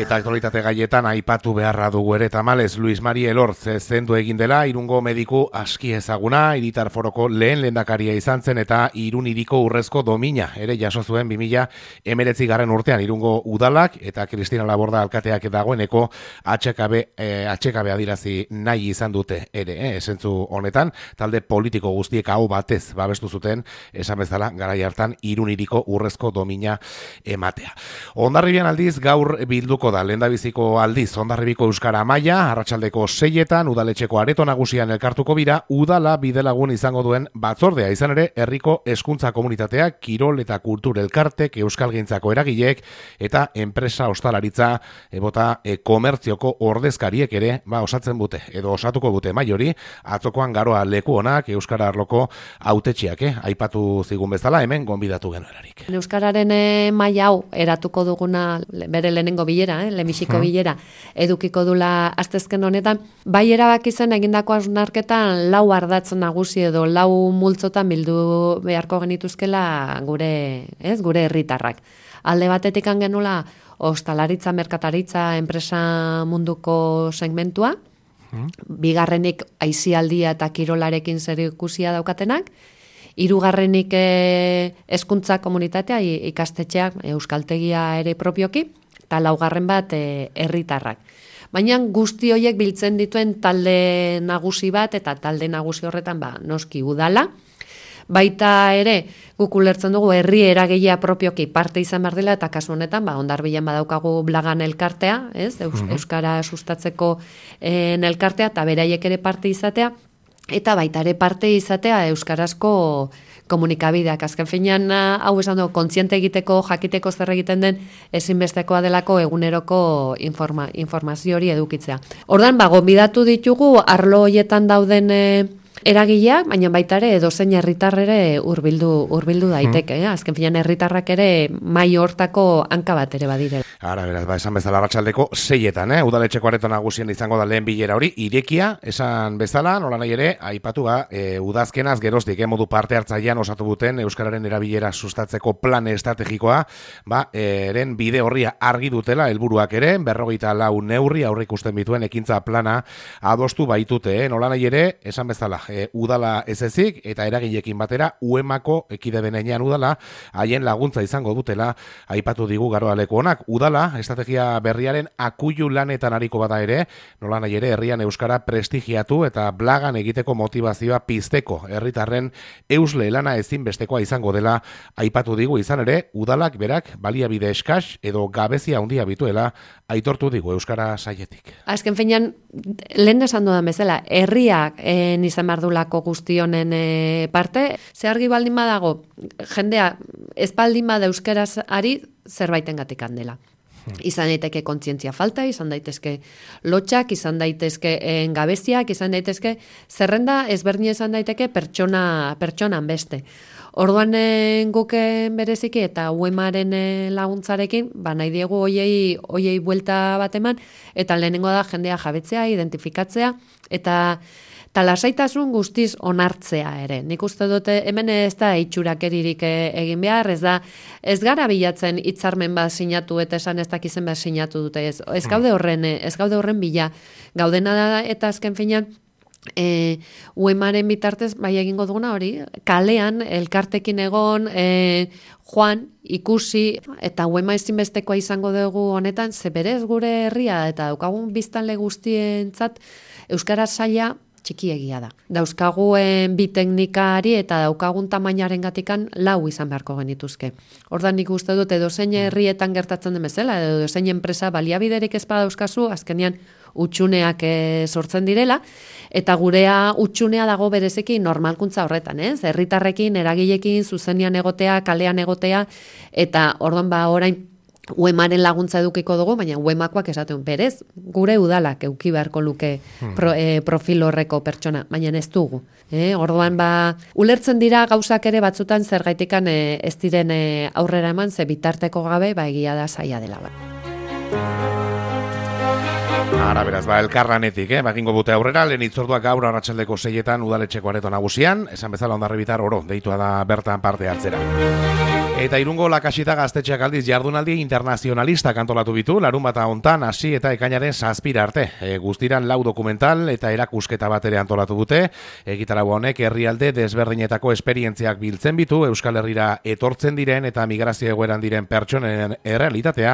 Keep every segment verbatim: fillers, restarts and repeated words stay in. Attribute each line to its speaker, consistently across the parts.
Speaker 1: Eta aktualitate gaietan aipatu beharra dugu ere tamalez Luis Mari Elorz zendu egin dela Irungo mediku aski ezaguna, hiritar foroko lehen lehendakaria izan zen eta Irun hiriko urrezko domina ere jaso zuen bi mila hemeretzi garren urtean Irungo udalak eta Cristina Laborda alkateak dagoeneko H K B eh, H K B adirazi nahi izan dute ere, eh, esentzu honetan talde politiko guztiek hau batez babestu zuten esan bezala garai hartan Irun hiriko urrezko domina ematea. Hondarribian aldiz gaur bilduko da lehendabiziko aldiz Hondarribiko Euskara Maila arratsaldeko seietan udaletxeko areto nagusian elkartuko bira udala bidelagun izango duen batzordea izan ere herriko hezkuntza komunitateak kirol eta kultur elkartek euskalgintzako eragileek eta enpresa ostalaritza ebota e, komertzioko ordezkariek ere ba osatzen dute edo osatuko dute mai hori atzokoan garoa leku onak euskara arloko hautetxiak eh? Aipatu zigun bezala hemen gonbidatu genuerarik.
Speaker 2: Euskararen eh, maila hau eratuko duguna bere lehenengo bilera, eh, lehenbiziko bilera, edukiko dula astezken honetan, bai erabaki zen egindako hausnarketan lau ardatz nagusi edo lau multzotan bildu beharko genituzkela gure, ez, gure herritarrak. Alde batetik genula ostalaritza, merkataritza, enpresa munduko segmentua, bigarrenik aisialdia eta kirolarekin zerikusia daukatenak, hirugarrenik hezkuntza komunitatea, ikastetxeak, euskaltegia ere propioki, eta laugarren bat herritarrak. Baina guzti horiek biltzen dituen talde nagusi bat, eta talde nagusi horretan ba, noski udala. Baita ere, guk ulertzen dugu herri eragilea propioki parte izan behar dela, eta kasu honetan, ba, Hondarbilan badaukagu Blagan elkartea, ez? Eus, uh-huh. Euskara sustatzeko en elkartea, eta beraiek ere parte izatea, eta baita ere parte izatea euskarazko komunikabideak. Azken finean hau esan dugu, kontziente egiteko, jakiteko zer egiten den ezinbestekoa delako eguneroko informa, informazio hori edukitzea. Ordan ba, gonbidatu ditugu arlo hoietan dauden e, eragileak, baina baita ere edozein herritar ere hurbildu hurbildu daiteke, eh? Azken finean herritarrak ere mai hortako hanka bat ere badire.
Speaker 1: Ara, beraz, ba, esan bezala arratsaldeko seietan, eh? Udaletxeko areto nagusien izango da lehen bilera hori, irekia, esan bezala, nola nahi ere, aipatu ba, e, udazkenaz geroztik, eh? Modu parte hartzailean osatu duten euskararen erabilera sustatzeko plan estrategikoa, ba, eren bide horria argi dutela, helburuak ere, berrogeita lau neurri aurre ikusten bituen ekintza plana adostu baitute, eh? Nola nahi ere, esan bezala, e, udala ez ezik, eta eragilekin batera, uemako ekide benenean udala, haien laguntza izango dutela, aipatu digu garoa leku honak, udala, estrategia berriaren akuilu lanetan ariko bada ere, nola nahi ere herrian euskara prestigiatu eta Blagan egiteko motivazioa pizteko herritarren eusle lana ezinbestekoa izango dela aipatu digu izan ere, udalak berak baliabide eskas edo gabezia handia bituela aitortu digu euskara saietik.
Speaker 2: Azken finean, lehen esan dudan bezala, herriak eh, izan bardulako guztionen eh, parte, ze argi baldin badago, jendea ez baldin bada euskaraz ari zerbaitengatik handela. Izan daiteke kontzientzia falta, izan daitezke lotxak, izan daitezke gabeziak, izan daitezke zerrenda ezberdin izan daiteke pertsona pertsonan beste. Orduan guken bereziki eta uemaren laguntzarekin, ba nahi diegu hoiei hoiei buelta bat eman eta lehenengo da jendea jabetzea, identifikatzea eta eta lasaitasun guztiz onartzea ere. Nik uste dute hemen ez da itxurakeririk egin behar, ez da ez gara bilatzen hitzarmen bat sinatu eta esan ez dakizen bat sinatu dute. Ez, ez gaude horren, ez gaude horren bila. Gaudena da eta azken finean E, uemaren bitartez bai egingo duguna hori, kalean elkartekin egon, e, joan, ikusi, eta uema ezinbestekoa izango dugu honetan, ze berez gure herria eta daukagun biztanle guztientzat euskara saila txikiegia da. Dauzkaguen bi teknikari eta daukagun tamainaren gatikan lau izan beharko genituzke. Ordan nik uste dut edozein herrietan gertatzen den bezala, edo edozein enpresa baliabiderik ez badauzkazu, azkenean utxuneak e, sortzen direla, eta gurea utxunea dago berezeki normalkuntza horretan, ez? Herritarrekin, eragilekin, zuzenean egotea, kalean egotea, eta orduan ba orain uemaren laguntza edukiko dugu, baina uemakoak esaten berez, gure udalak euki beharko luke pro, e, profil horreko pertsona, baina ez dugu. E, orduan ba, ulertzen dira gauzak ere batzutan zergaitikan e, ez diren e, aurrera eman, ze bitarteko gabe, ba egia da zaila dela. Ba.
Speaker 1: Ara, beraz, ba, elkarlanetik, eh? Bagingo bute aurrera, lehen itzorduak gaur arratsaldeko seietan udaletxeko areto nagusian, esan bezala Hondarribitar oro, deitua da bertan parte hartzera. Eta Irungo Lakasita gaztetxeak aldiz jardunaldi internazionalistak antolatu bitu, larun bata hontan hasi eta ekainaren zazpira arte. E, guztiran lau dokumental eta erakusketa bat ere antolatu dute. Egitarau honek herrialde desberdinetako esperientziak biltzen bitu, Euskal Herrira etortzen diren eta migrazio egoeran diren pertsonen errealitatea,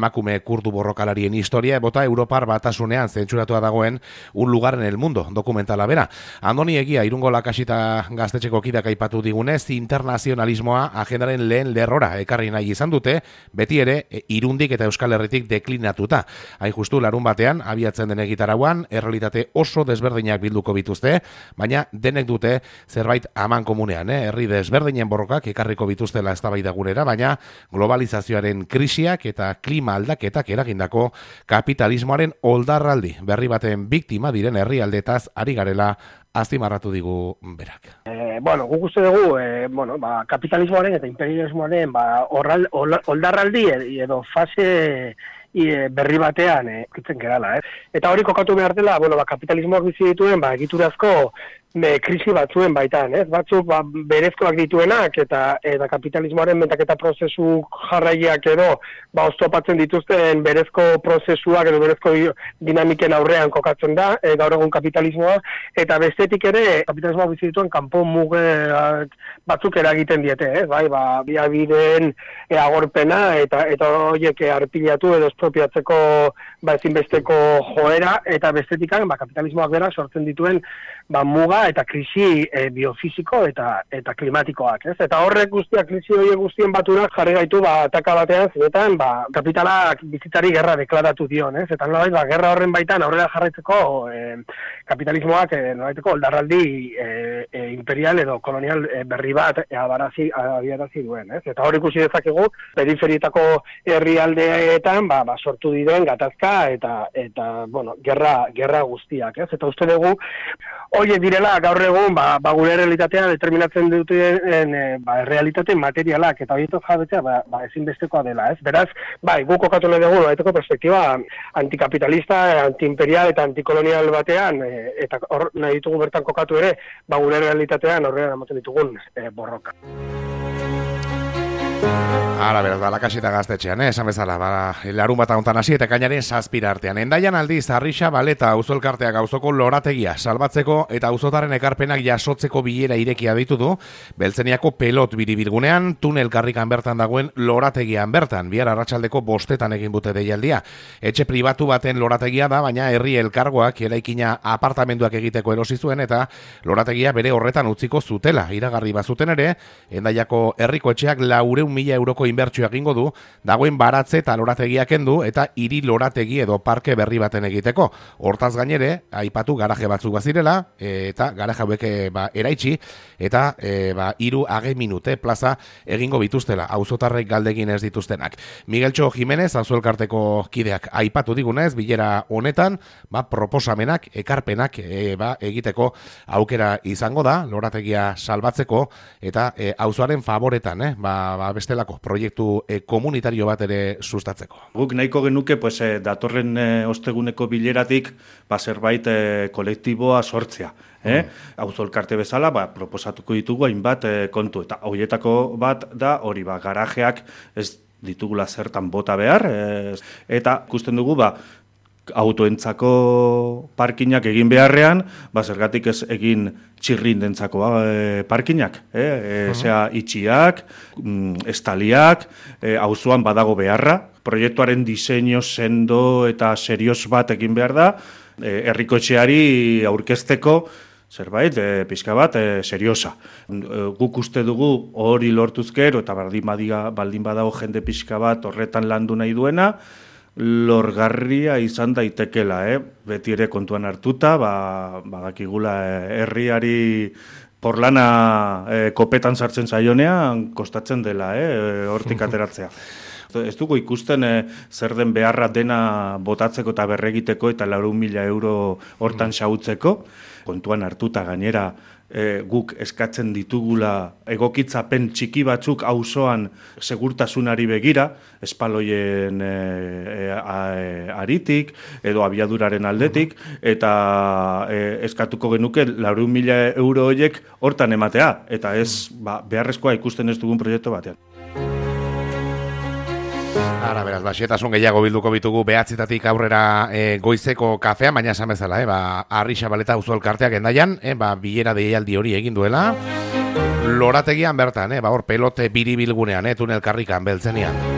Speaker 1: emakume kurdu borrokalarien historia, bota Europar batasunean zentsuratua dagoen un lugar en el mundo dokumentala bera. Andoni Egia, Irungo Lakasita gaztetxeko kidak aipatu digunez, internazionalismoa agendaren lehen lerrora ekarri nahi izan dute, beti ere Irundik eta Euskal Herritik deklinatuta. Hain justu larun batean, abiatzen den egitarauan, errealitate oso desberdinak bilduko bituzte, baina denek dute zerbait aman komunean, eh? Herri desberdinen borrokak ekarriko bituztela eztabaida gurera, baina globalizazioaren krisiak eta klima aldaketak eragindako kapitalismoaren oldarraldi berri baten biktima diren herrialdetaz ari garela azpimarratu digu berak.
Speaker 3: Eh, bueno, guk uste dugu, eh, bueno, ba, kapitalismoaren eta imperialismoaren ba, orral, oldarraldi edo fase e, berri batean eh, kitzen gerala. Eh? Eta hori kokatu behar dela, bueno, ba, kapitalismoak bizi dituen ba, egiturazko me, krisi batzuen baitan, ez? Batzuk ba, berezkoak dituenak eta eta kapitalismoaren mentaketa prozesu jarraiak edo ba, oztopatzen dituzten berezko prozesuak edo berezko dinamiken aurrean kokatzen da, e, gaur egun kapitalismoa, eta bestetik ere kapitalismoa bizi dituen kanpo muge batzuk eragiten diete, ez? Bai, ba, biabideen e, agorpena eta eta horiek arpilatu edo espropiatzeko ba, ezinbesteko joera, eta bestetikan ba, kapitalismoak berak sortzen dituen ba, muga eta krisi e, biofisiko eta eta klimatikoak, ez? Eta horrek guztiak, krisi horiek guztien baturak jarri gaitu ba ataka batean, zinetan ba kapitalak bizitzari gerra deklaratu dion, ez? Eta nolabait ba gerra horren baitan aurrera jarraitzeko e, kapitalismoak e, nolabaiteko oldarraldi e, e, imperial edo kolonial e, berri bat e, abarazi abiarazi duen, ez? Eta hor ikusi dezakegu periferietako herrialdeetan ba, ba sortu diren gatazka eta eta bueno, gerra gerra guztiak, ez? Eta uste dugu horiek direla gaur egun ba, ba gure realitatea determinatzen duten e, ba, realitate materialak eta horietok jabetzea ba, ba ezinbestekoa dela, ez? Beraz, bai, guk kokatu nahi dugu baiteko perspektiba antikapitalista, antiimperial eta antikolonial batean e, eta hor nahi ditugu bertan kokatu ere ba gure realitatean horrean ematen ditugun e, borroka.
Speaker 1: Hala, beraz, ba, Lakasita gaztetxean, eh? Esan bezala, ba, larun bat hontan hasi eta ekainaren zazpira artean. Endaian aldiz, Arrixa Baleta auzoelkarteak auzoko lorategia salbatzeko eta auzotaren ekarpenak jasotzeko bilera irekia ditu du, Beltzeniako pelot biribilgunean, tunel karrikan bertan dagoen lorategian bertan, bihar arratsaldeko bostetan egin bute deialdia. Etxe pribatu baten lorategia da, baina herri elkargoak eraikina apartamenduak egiteko erosi zuen eta lorategia bere horretan utziko zutela. Iragarri bazuten ere, Endaiako herriko etxeak laurehun mila euroko inbertsioa egingo du, dagoen baratze eta lorategiak kendu eta hiri lorategi edo parke berri baten egiteko. Hortaz gainere, aipatu garaje batzuk bazirela, e, eta garaje hauek ba, eraitsi, eta e, ba, hiru age minute plaza egingo bituztela, auzotarrek galdegin ez dituztenak. Migueltxo Jimenez, auzoelkarteko kideak aipatu digunez, bilera honetan, ba, proposamenak, ekarpenak e, ba, egiteko aukera izango da, lorategia salbatzeko, eta e, auzoaren favoretan, eh, ba, ba, bestelako proiektu e, komunitario bat ere sustatzeko.
Speaker 4: Guk nahiko genuke pues, e, datorren e, osteguneko bileratik ba, zerbait e, kolektiboa sortzea. Eh? Mm. Auzolkarte bezala ba, proposatuko ditugu hainbat e, kontu. Eta horietako bat da hori ba, garajeak ez ditugula zertan bota behar. E, eta ikusten dugu ba, autoentzako parkinak egin beharrean, ba, zergatik ez egin txirrindentzako e, parkinak, eh? E, uh-huh. Zea itxiak, mm, estaliak, e, auzoan badago beharra, proiektuaren diseinu sendo eta serioz bat egin behar da, e, herriko etxeari aurkezteko zerbait, e, pixka bat, e, seriosa. E, guk uste dugu hori lortuzkero eta baldin, badia, baldin badago jende pixka bat horretan landu nahi duena, lorgarria izan daitekela, eh? Beti ere kontuan hartuta, ba, badakigula herriari porlana e, kopetan sartzen zaionean kostatzen dela, eh? Hortik ateratzea. Ez dugu ikusten e, zer den beharra dena botatzeko eta berregiteko eta laurehun mila euro hortan xautzeko, kontuan hartuta gainera, E, guk eskatzen ditugula egokitzapen txiki batzuk auzoan segurtasunari begira, espaloien e, e, a, e, aritik edo abiaduraren aldetik, eta e, eskatuko genuke laurehun mila euro horiek hortan ematea, eta ez ba, beharrezkoa ikusten ez dugun proiektu batean.
Speaker 1: Ara, beraz, ba, xetasun gehiago bilduko bitugu behatzitatik aurrera e, goizeko kafean, baina esan bezala, e, ba, Arri Xabaleta auzo elkarteak endaian, e, ba, bilera deialdi hori egin duela, lorategian bertan, e, ba, hor pelote biribilgunean, e, tunel karrikan beltzenian.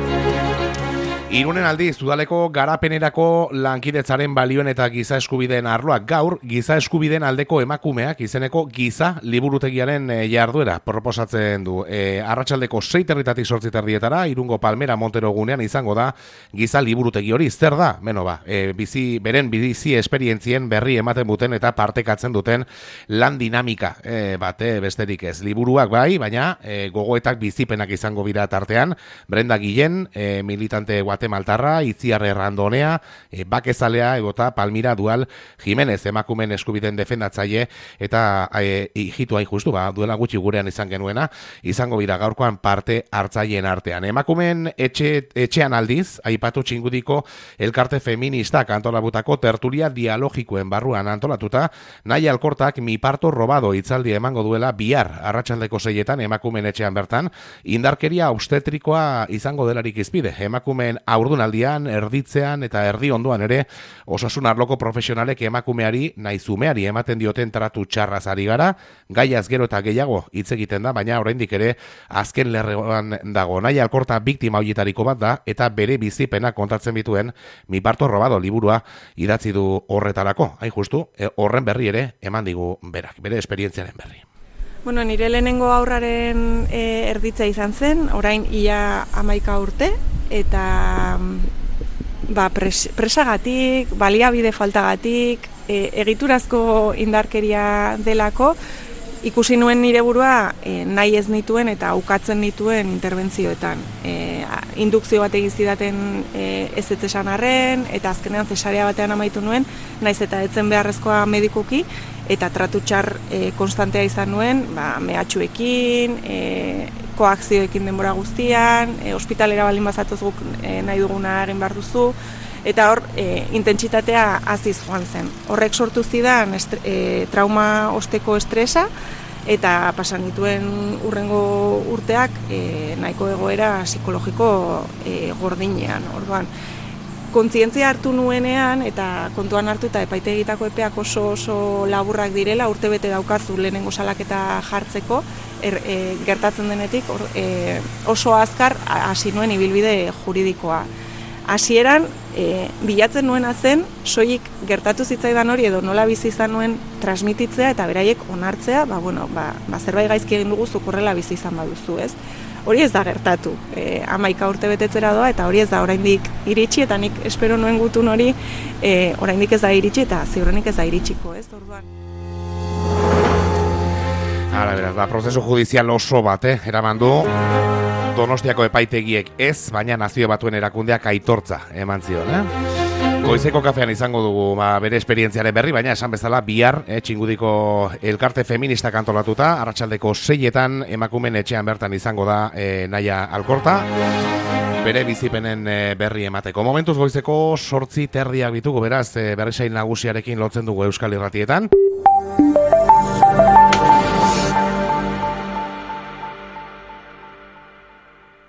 Speaker 1: Irunen aldiz, udaleko garapenerako lankidetzaren balioen eta giza eskubideen arloak gaur, giza eskubideen aldeko emakumeak izeneko giza liburutegiaren e, jarduera proposatzen du. E, arratsaldeko sei territatik zortzi terdietara, Irungo Palmera Montero gunean izango da giza liburutegi hori. Zer da? Beno ba, e, bizi, beren bizi esperientzien berri ematen duten eta partekatzen duten lan dinamika e, bate besterik ez. Liburuak bai, baina e, gogoetak bizipenak izango bira tartean, Brenda Guillen, e, militante Guatemaltarra, Itziar Errandonea, e, Bakezalea, egota Palmira Dual Jimenez, emakumen eskubiden defendatzaile, eta e, hijitu hain justu, ba, duela gutxi gurean izan genuena, izango bira gaurkoan parte hartzaileen artean. Emakumen etxe, etxean aldiz, aipatu txingudiko elkarte feministak antolabutako tertulia dialogikoen barruan antolatuta, nahi alkortak mi parto robado hitzaldi emango duela bihar arratsaldeko seietan emakumen etxean bertan, indarkeria obstetrikoa izango delarik izpide, emakumen haurdunaldian, erditzean eta erdi ondoan ere osasun arloko profesionalek emakumeari nahi zumeari ematen dioten tratu txarraz ari gara, gaiaz gero eta gehiago hitz egiten da, baina oraindik ere azken lerroan dago. Nahi alkorta biktima horietariko bat da eta bere bizipena kontatzen bituen Mi parto robado liburua idatzi du horretarako. Hain justu, e, horren berri ere eman digu berak, bere esperientziaren berri.
Speaker 5: Bueno, nire lehenengo aurraren e, erditza izan zen, orain ia hamaika urte, eta ba, pres, presagatik, baliabide faltagatik, e, egiturazko indarkeria delako, ikusi nuen nire burua e, nahi ez nituen eta ukatzen nituen interbentzioetan. E, indukzio bat egin zidaten e, ez ez esan arren, eta azkenean zesarea batean amaitu nuen, naiz eta etzen beharrezkoa medikuki, eta tratu txar e, konstantea izan nuen, ba, mehatxuekin, e, koakzioekin denbora guztian, e, ospitalera baldin bazatoz guk e, nahi duguna egin behar duzu, eta hor, e, intentsitatea aziz joan zen. Horrek sortu zidan estre, e, trauma osteko estresa, eta pasan dituen urrengo urteak e, nahiko egoera psikologiko e, gordinean. Orduan, kontzientzia hartu nuenean, eta kontuan hartu eta epaitegitako epeak oso oso laburrak direla, urtebete daukazu lehenengo salaketa jartzeko, er, e, gertatzen denetik or, e, oso azkar hasi nuen ibilbide juridikoa. Hasieran e, bilatzen nuena zen, soilik gertatu zitzaidan hori edo nola bizi izan nuen transmititzea eta beraiek onartzea, ba, bueno, ba, ba, zerbait gaizki egin dugu zuk horrela bizi izan baduzu, ez? Hori ez da gertatu, e, hamaika urte betetzera doa eta hori ez da oraindik iritsi, eta nik espero nuen gutun hori e, oraindik ez da iritsi eta ziurrenik ez da iritsiko, ez? Orduan.
Speaker 1: Hala, beraz, ba, prozesu judizial oso bat, eh, eraman du. Donostiako epaitegiek ez, baina Nazio Batuen erakundeak aitortza eman zion, eh? Goizeko kafean izango dugu ba, bere esperientziaren berri, baina esan bezala bihar, eh, txingudiko elkarte feministak antolatuta, arratsaldeko seietan emakumen etxean bertan izango da eh, Naia Alkorta, bere bizipenen eh, berri emateko. Momentuz goizeko sortzi terdiak bitugu, beraz, eh, berrisail nagusiarekin lotzen dugu Euskal Irratietan.